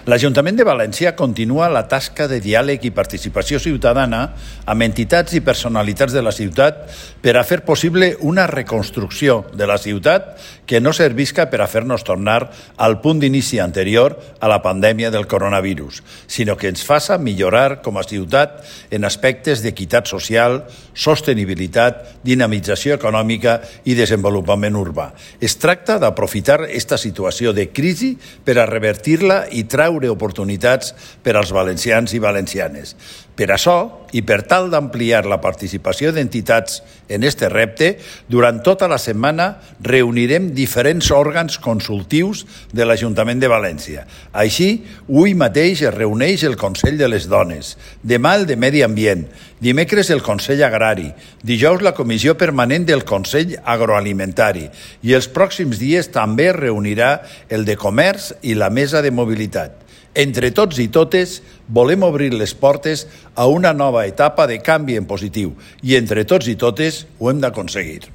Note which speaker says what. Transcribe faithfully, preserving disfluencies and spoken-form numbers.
Speaker 1: L'Ajuntament de València continua la tasca de diàleg i participació ciutadana amb entitats i personalitats de la ciutat per a fer possible una reconstrucció de la ciutat que no servisca per a fer-nos tornar al punt d'inici anterior a la pandèmia del coronavirus, sinó que ens faça millorar com a ciutat en aspectes d'equitat social, sostenibilitat, dinamització econòmica i desenvolupament urbà. Es tracta d'aprofitar aquesta situació de crisi per a revertir-la i treure oportunitats per als valencians i valencianes. Per això, i per tal d'ampliar la participació d'entitats en este repte, durant tota la setmana reunirem diferents òrgans consultius de l'Ajuntament de València. Així, avui mateix es reuneix el Consell de les Dones, demà el de Medi Ambient, dimecres el Consell Agrari, dijous la Comissió Permanent del Consell Agroalimentari i els pròxims dies també es reunirà el de Comerç i la Mesa de Mobilitat. Entre tots i totes volem obrir les portes a una nova etapa de canvi en positiu i entre tots i totes ho hem d'aconseguir.